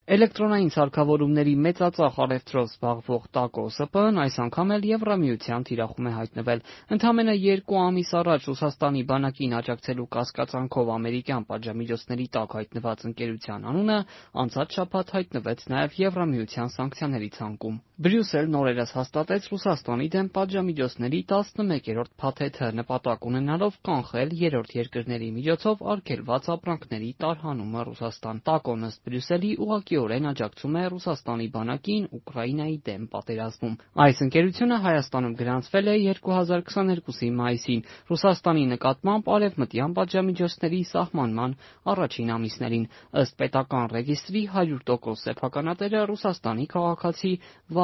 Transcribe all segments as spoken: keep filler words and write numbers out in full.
Էլեկտրոնային սարքավորումների մեծածախ առևտրով զբաղվող ՏԱԿ-ո ՍՊԸ-ն այս անգամ էլ Եվրամիության թիրախում է հայտնվել։ Ընդամենը երկու ամիս առաջ Ռուսաստանի բանակին աջակցելու կասկածանքով ամերիկյան պատժամիջոցների տակ հայտնված ընկերության անունը անցած շաբաթ հայտնվեց նաև Եվրամիության սանկցիաների ցանկում։ Բրյուսելն օրերս հաստատեց Ռուսաստանի դեմ պատժամիջոցների տասնմեկերորդ փաթեթը՝ նպատակ ունենալով կանխել երրորդ երկրների միջոցով արգելված ապրանքների տարհանումը Ռուսաստան։ ՏԱԿ-ն ըստ Բրյուսելի ուղղակիորեն աջակցում է Ռուսաստանի բանակին Ուկրաինայի դեմ պատերազմում։ Այս ընկերությունը Հայաստանում գրանցվել է երկու հազար քսաներկուսի մայիսին Ռուսաստանի նկատմամբ արևմտյան պատժամիջոցների սահմանման առաջին ամիսներին։ Ըստ պետական ռեգիստրի հարյուր տոկոս սեփականատերը Ռուսաստանի քաղաքացի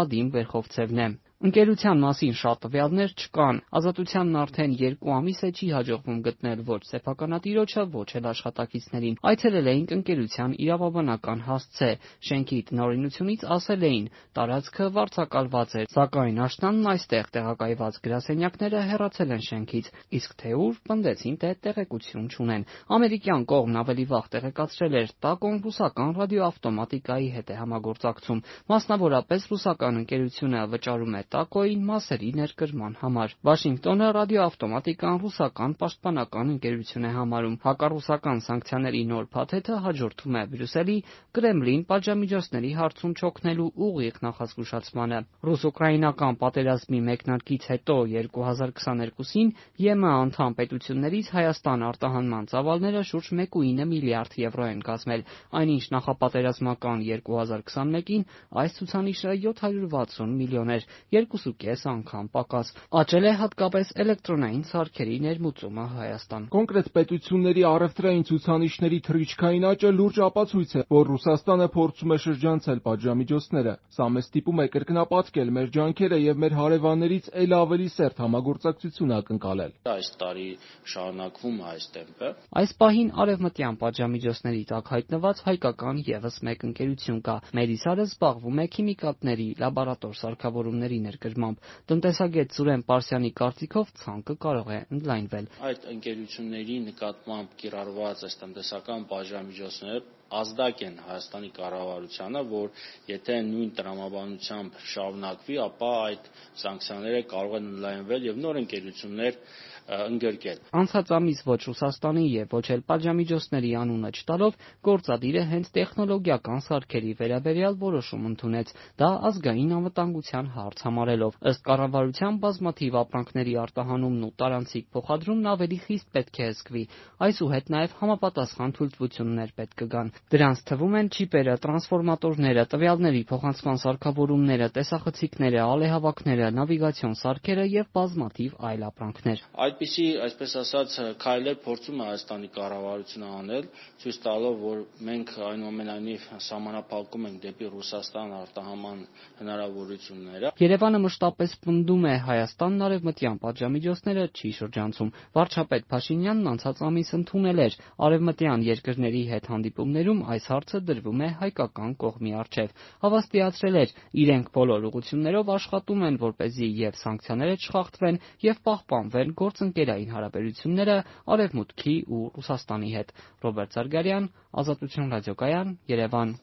Վադիմ Վերխովցևն է։ Ընկերության մասին շատ տվյալներ չկան։ Ազատությանն արդեն երկու ամիս է չի հաջողվում գտնել ոչ սեփականատիրոջը, ոչ էլ աշխատակիցներին։ Այցելել էինք ընկերության իրավաբանական հասցե։ Շենքի տնօրինությունից ասել էին՝ տարածքը վարձակալված է, սակայն աշնանն այստեղ տեղակայված գրասենյակները հեռացել են շենքից, իսկ թե ուր, պնդեցին, թե տեղեկություն չունեն։ Ամերիկյան կողմն ավելի վաղ տեղեկացրել էր՝ ՏԱԿ-ն ռուսական ռադիոավտոմատիկայի հետ է համագործակցում։ Մասնավորապես ռուսական ընկերությունը վճարում է ՏԱԿ-ին մասերի ներկրման համար։ Վաշինգտոնը ռադիոավտոմատիկան ռուսական պաշտպանական ընկերություն է համարում։ Հակառուսական սանկցիաների նոր փաթեթը հաջորդում է Բրյուսելի Կրեմլին պատժամիջոցների հարցում չօգնելու ուղիղ նախազգուշացմանը։ Ռուս-ուկրաինական պատերազմի մեկնարկից հետո երկու հազար քսաներկուսին ԵՄ անդամ պետություններից Հայաստան արտահանման ծավալները շուրջ մեկ կողմը ինը միլիարդ եվրո են կազմել, այնինչ նախապատերազմական երկու հազար քսանմեկին այս ցուցանիշը յոթ հարյուր վաթսուն միլիոն էր, երկուսուկես անգամ պակաս։ Աճել է հատկապես էլեկտրոնային սարքերի ներմուծումը Հայաստան։ Կոնկրետ պետությունների առևտրային ցուցանիշների թռիչքային աճը լուրջ ապացույց է, որ Ռուսաստանը փորձում է շրջանցել պատժամիջոցները։ Սա մեզ ստիպում է կրկնապատկել մեր ջանքերը եւ մեր հարևաններից էլ ավելի սերտ համագործակցություն ակնկալել։ Այս տարի շարունակվում է այս տեմպը։ Այս պահին արևմտյան պատժամիջոցների տակ հայտնված հայկական եւս մեկ ընկերություն կա։ Մերիսարը զբաղվում է քիմիկատների լաբորատոր սարքավորումների ներկրմամբ։ Տնտեսագետ Սուրեն Պարսյանի կարծիքով ցանկը կարող է ընդլայնվել։ Այդ ընկերությունների նկատմամբ կիրառված այս տնտեսական պատժամիջոցները ազդակ են Հայաստանի կառավարությանը, որ եթե նույն տրամաբանությամբ շարունակվի, ապա այդ սանկցիաները կարող են ընդլայնվել եւ նոր ընկերություններ ընդգրկել։ Անցած ամիս ոչ Ռուսաստանի եւ ոչ էլ պատժամիջոցների անունը չտալով գործադիրը հենց տեխնոլոգիական սարքերի վերաբերյալ որոշում ընդունեց, դա ազգային անվտանգության հարց համարելով։ Ըստ կառավարության բազմաթիվ ապրանքների արտահանումն ու տարանցիկ փոխադրումն ավելի խիստ պետք է զգվի։ Այսուհետ նաեւ համապատասխան թույլտվություններ պետք կգան։ Դրանց թվում են չիպերը, տրանսֆորմատորները, տվյալների փոխանցման սարքավորումները, տեսախցիկները, ալեհավաքները, նավիգացիոն սարքերը եւ բազմաթիվ այլ ապրանքներ։ Այդպիսի, այսպես ասած, քայլեր փորձում է Հայաստանի կառավարությունը անել, ցույց տալով, որ մենք այնուամենայնիվ սահմանափակում ենք դեպի Ռուսաստան արտահանման հնարավորությունները։ Երևանը մշտապես պնդում է՝ Հայաստանն արևմտյան պատժամիջոցները չի շրջանցում։ Վարչապետ Փաշինյանն անցած ամիս ընդունել էր արևմտյան երկրների հետ հանդիպումներում այս հարցը դրվում է հայկական կողմի առջև։ Հավաստիացրել էր՝ իրենք բոլոր ուղղություններով աշխատում են, որպեսզի եւ սանկցիաները չխախտվեն եւ պահպանվեն գործընկերային հարաբերությունները Արևմուտքի ու Ռուսաստանի հետ։ Ռոբերտ Զարգարյան, Ազատություն ռադիոկայան, Երևան։